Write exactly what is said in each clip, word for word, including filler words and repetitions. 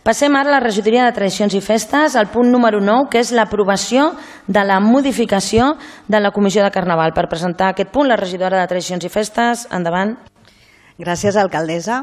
Passem ara a la regidoria de Tradicions i Festes, al punt número nou, que és l'aprovació de la modificació de la Comissió de Carnaval. Per presentar aquest punt, la regidora de Tradicions i Festes, endavant. Gràcies, alcaldessa.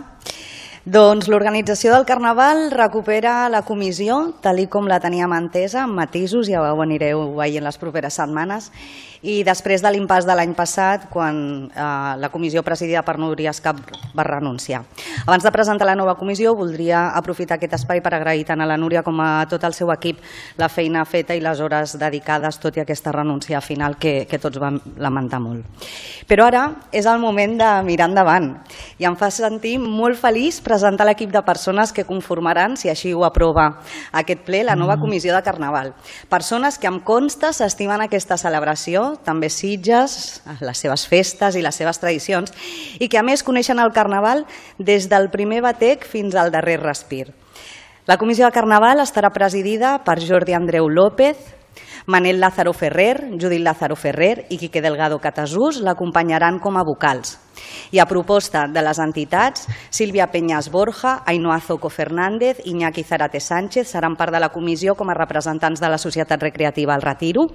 Doncs l'organització del Carnaval recupera la comissió, tal com la teníem entesa, amb matisos, ja ho anireu veient les properes setmanes, i després de l'impàs de l'any passat, quan eh, la comissió presidida per Núria Escap va renunciar. Abans de presentar la nova comissió, voldria aprofitar aquest espai per agrair tant a la Núria com a tot el seu equip la feina feta i les hores dedicades, tot i aquesta renúncia final que, que tots vam lamentar molt. Però ara és el moment de mirar endavant i em fa sentir molt feliç presentar l'equip de persones que conformaran, si així ho aprova aquest ple, la nova comissió de Carnaval. Persones que em consta s'estimen aquesta celebració, també Sitges, les seves festes i les seves tradicions, i que a més coneixen el Carnaval des del primer batec fins al darrer respir. La comissió de Carnaval estarà presidida per Jordi Andreu López, Manel Lázaro Ferrer, Judit Lázaro Ferrer i Quique Delgado Catasús l'acompanyaran com a vocals. I a proposta de les entitats, Sílvia Peñas Borja, Ainhoa Zoco Fernández i Iñaki Zarate Sánchez seran part de la comissió com a representants de la Societat Recreativa El Retiro,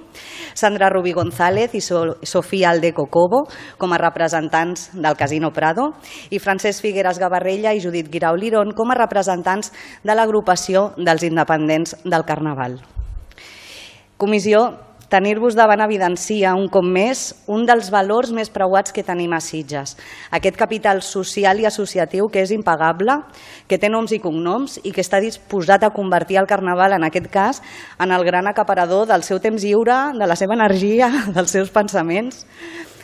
Sandra Rubí González i Sofía Aldeco Cobo com a representants del Casino Prado i Francesc Figueres Gavarrella i Judit Guirao Lirón com a representants de l'agrupació dels independents del Carnaval. Comissió, tenir-vos davant evidencia un cop més un dels valors més preuats que tenim a Sitges. Aquest capital social i associatiu que és impagable, que té noms i cognoms i que està disposat a convertir el Carnaval, en aquest cas, en el gran acaparador del seu temps lliure, de la seva energia, dels seus pensaments.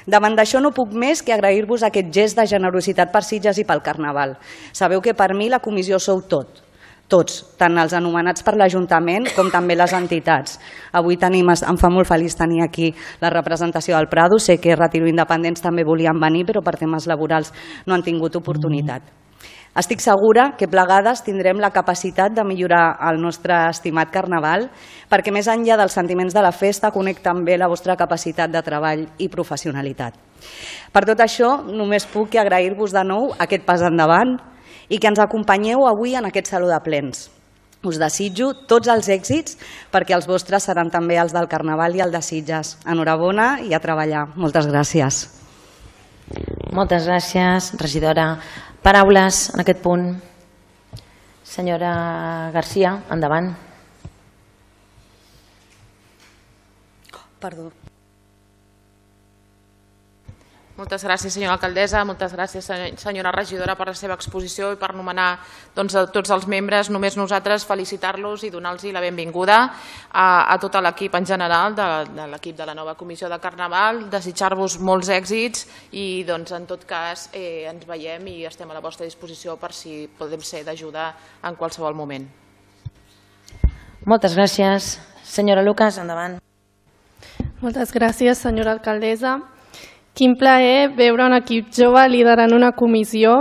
Davant d'això no puc més que agrair-vos aquest gest de generositat per Sitges i pel Carnaval. Sabeu que per mi la comissió sou tot. Tots, tant els anomenats per l'Ajuntament com també les entitats. Avui tenim, em fa molt feliç tenir aquí la representació del Prado. Sé que Retiro Independents també volien venir, però per temes laborals no han tingut oportunitat. Estic segura que plegades tindrem la capacitat de millorar el nostre estimat Carnaval, perquè més enllà dels sentiments de la festa conec també la vostra capacitat de treball i professionalitat. Per tot això, només puc agrair-vos de nou aquest pas endavant i que ens acompanyeu avui en aquest saló de plens. Us desitjo tots els èxits perquè els vostres seran també els del Carnaval i el de Sitges. Enhorabona i a treballar. Moltes gràcies. Moltes gràcies, regidora. Paraules en aquest punt. Senyora Garcia, endavant. Perdó. Moltes gràcies, senyora alcaldessa, moltes gràcies, senyora regidora, per la seva exposició i per nomenar doncs, a tots els membres. Només nosaltres felicitar-los i donar-los la benvinguda a, a tot l'equip en general, de, de l'equip de la nova comissió de Carnaval, desitjar-vos molts èxits i doncs, en tot cas eh, ens veiem i estem a la vostra disposició per si podem ser d'ajuda en qualsevol moment. Moltes gràcies. Senyora Lucas, endavant. Moltes gràcies, senyora alcaldessa. Quin plaer veure un equip jove liderant una comissió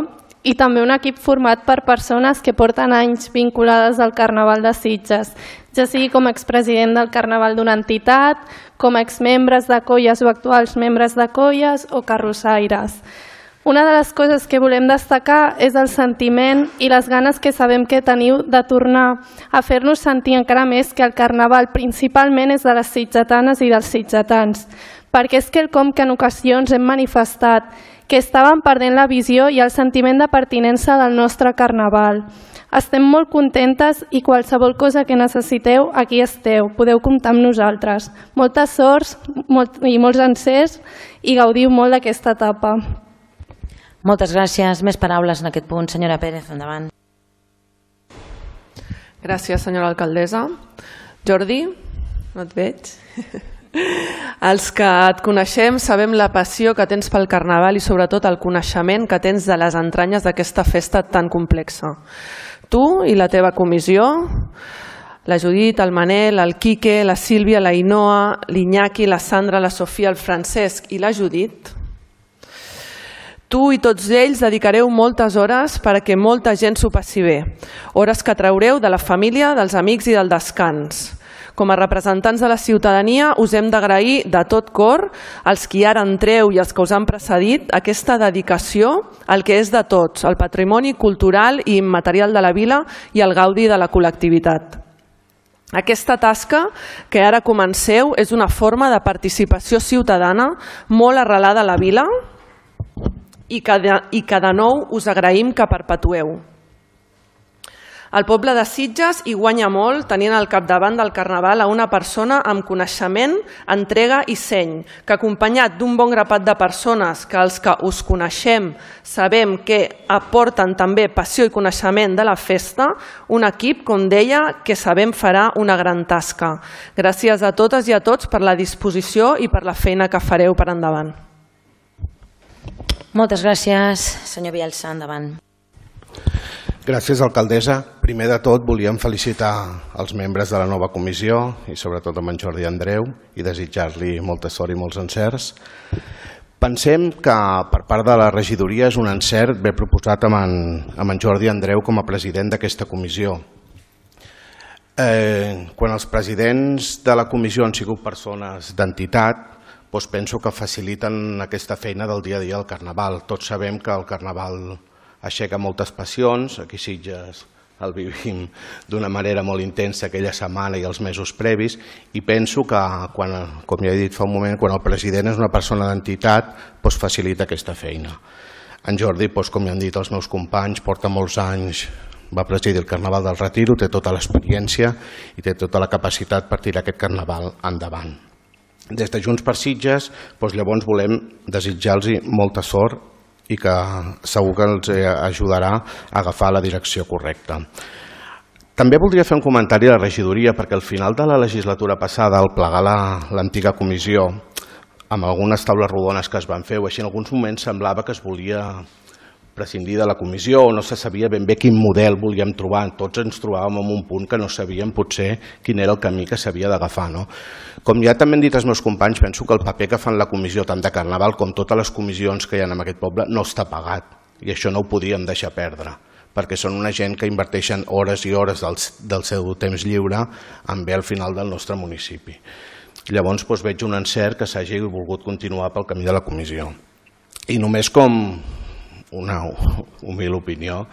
i també un equip format per persones que porten anys vinculades al Carnaval de Sitges, ja sigui com a expresident del Carnaval d'una entitat, com a exmembres de colles o actuals membres de colles o carrossaires. Una de les coses que volem destacar és el sentiment i les ganes que sabem que teniu de tornar a fer-nos sentir encara més que el Carnaval principalment és de les sitgetanes i dels sitgetans, perquè és quelcom que en ocasions hem manifestat, que estàvem perdent la visió i el sentiment de pertinença del nostre Carnaval. Estem molt contentes i qualsevol cosa que necessiteu, aquí esteu, podeu comptar amb nosaltres. Moltes sorts molt, i molts encerts i gaudiu molt d'aquesta etapa. Moltes gràcies. Més paraules en aquest punt. Senyora Pérez, endavant. Gràcies, senyora alcaldessa. Jordi, no et veig. Els que et coneixem sabem la passió que tens pel Carnaval i sobretot el coneixement que tens de les entranyes d'aquesta festa tan complexa. Tu i la teva comissió, la Judit, el Manel, el Quique, la Sílvia, la Ainhoa, l'Iñaki, la Sandra, la Sofia, el Francesc i la Judit, tu i tots ells dedicareu moltes hores perquè molta gent s'ho passi bé, hores que traureu de la família, dels amics i del descans. Com a representants de la ciutadania us hem d'agrair de tot cor, als qui ara entreu i els que us han precedit, aquesta dedicació al que és de tots, al patrimoni cultural i immaterial de la vila i al gaudi de la col·lectivitat. Aquesta tasca que ara comenceu és una forma de participació ciutadana molt arrelada a la vila i que de, i que de nou us agraïm que perpetueu. El poble de Sitges hi guanya molt tenint al capdavant del Carnaval a una persona amb coneixement, entrega i seny, que acompanyat d'un bon grapat de persones que els que us coneixem sabem que aporten també passió i coneixement de la festa, un equip, com deia, que sabem farà una gran tasca. Gràcies a totes i a tots per la disposició i per la feina que fareu per endavant. Moltes gràcies, senyor Bielsa, endavant. Gràcies, alcaldessa. Primer de tot, volíem felicitar els membres de la nova comissió i sobretot amb en Jordi Andreu i desitjar-li molta sort i molts encerts. Pensem que per part de la regidoria és un encert ben proposat amb en, amb en Jordi Andreu com a president d'aquesta comissió. Eh, quan els presidents de la comissió han sigut persones d'entitat, doncs penso que faciliten aquesta feina del dia a dia al Carnaval. Tots sabem que el Carnaval aixeca moltes passions, aquí a Sitges el vivim d'una manera molt intensa aquella setmana i els mesos previs, i penso que, quan, com ja he dit fa un moment, quan el president és una persona d'entitat, doncs facilita aquesta feina. En Jordi, doncs, com ja han dit els meus companys, porta molts anys, va presidir el Carnaval del Retiro, té tota l'experiència i té tota la capacitat per tirar aquest Carnaval endavant. Des de Junts per Sitges, doncs llavors volem desitjar-los molta sort i que segur que els ajudarà a agafar la direcció correcta. També voldria fer un comentari a la regidoria, perquè al final de la legislatura passada, al plegar l'antiga comissió, amb algunes taules rodones que es van fer, o així en alguns moments semblava que es volia prescindir de la comissió o no se sabia ben bé quin model volíem trobar. Tots ens trobàvem en un punt que no sabíem potser quin era el camí que s'havia d'agafar. No? Com ja també han dit els meus companys, penso que el paper que fan la comissió tant de Carnaval com totes les comissions que hi ha en aquest poble no està pagat, i això no ho podíem deixar perdre, perquè són una gent que inverteixen hores i hores del, del seu temps lliure en bé al final del nostre municipi. Llavors doncs, veig un encert que s'hagi volgut continuar pel camí de la comissió. I només com una humil opinió,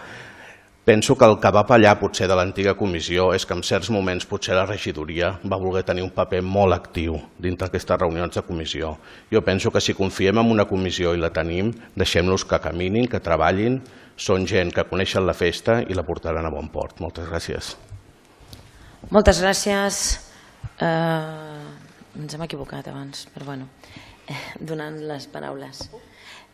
penso que el que va pallar potser de l'antiga comissió és que en certs moments potser la regidoria va voler tenir un paper molt actiu dintre d'aquestes reunions de comissió. Jo penso que si confiem en una comissió i la tenim, deixem-los que caminin, que treballin, són gent que coneixen la festa i la portaran a bon port. Moltes gràcies. Moltes gràcies. Eh, ens hem equivocat abans, però bueno, eh, donant les paraules.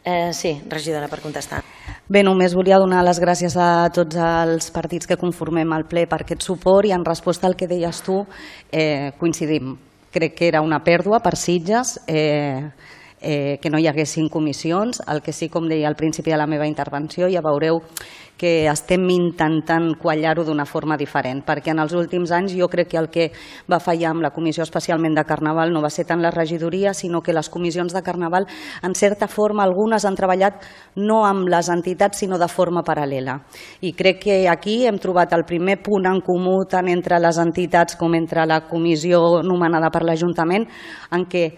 Eh, sí, regidora, per contestar. Bé, només volia donar les gràcies a tots els partits que conformem el ple per aquest suport, i en resposta al que deies tu, eh, coincidim. Crec que era una pèrdua per Sitges eh, eh, que no hi haguessin comissions. El que sí, com deia al principi de la meva intervenció, ja veureu que estem intentant quallar-ho d'una forma diferent, perquè en els últims anys jo crec que el que va fallar amb la comissió especialment de Carnaval no va ser tant la regidoria, sinó que les comissions de Carnaval, en certa forma, algunes han treballat no amb les entitats, sinó de forma paral·lela. I crec que aquí hem trobat el primer punt en comú tant entre les entitats com entre la comissió nomenada per l'Ajuntament, en què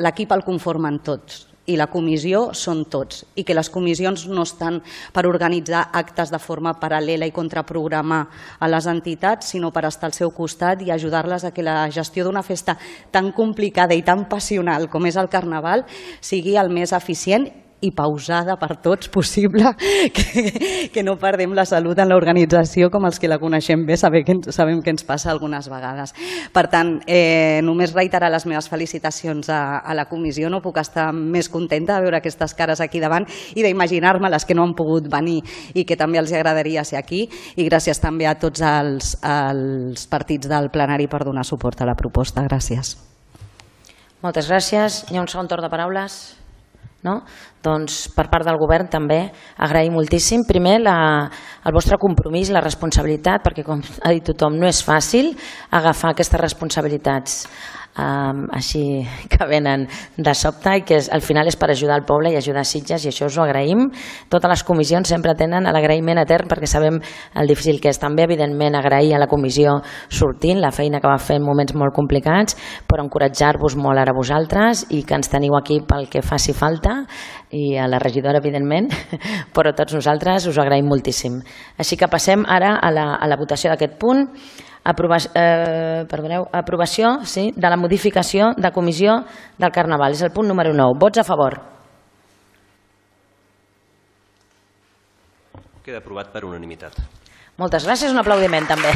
l'equip el conformen tots i la comissió són tots, i que les comissions no estan per organitzar actes de forma paral·lela i contraprogramar a les entitats, sinó per estar al seu costat i ajudar-les a que la gestió d'una festa tan complicada i tan passional com és el Carnaval sigui el més eficient i pausada per tots possible, que, que no perdem la salut en l'organització com els que la coneixem bé sabem que, sabem que ens passa algunes vegades. Per tant, eh, només reiterar les meves felicitacions a, a la comissió. No puc estar més contenta de veure aquestes cares aquí davant i d'imaginar-me les que no han pogut venir i que també els agradaria ser aquí, i gràcies també a tots els, els partits del plenari per donar suport a la proposta. Gràcies. Moltes gràcies. Hi ha un segon torn de paraules? No? Doncs per part del govern també agrair moltíssim, primer la, el vostre compromís, la responsabilitat, perquè com ha dit tothom no és fàcil agafar aquestes responsabilitats um, així que venen de sobte i que és, al final és per ajudar el poble i ajudar Sitges, i això us ho agraïm. Totes les comissions sempre tenen l'agraïment etern perquè sabem el difícil que és. També evidentment agrair a la comissió sortint la feina que va fer en moments molt complicats, però encoratjar-vos molt ara vosaltres i que ens teniu aquí pel que faci falta, i a la regidora evidentment, però tots nosaltres us ho agraïm moltíssim. Així que passem ara a la, a la votació d'aquest punt. Aprovació, eh, perdoneu, aprovació sí, de la modificació de comissió del Carnaval. És el punt número nou. Vots a favor? Queda aprovat per unanimitat. Moltes gràcies, un aplaudiment també.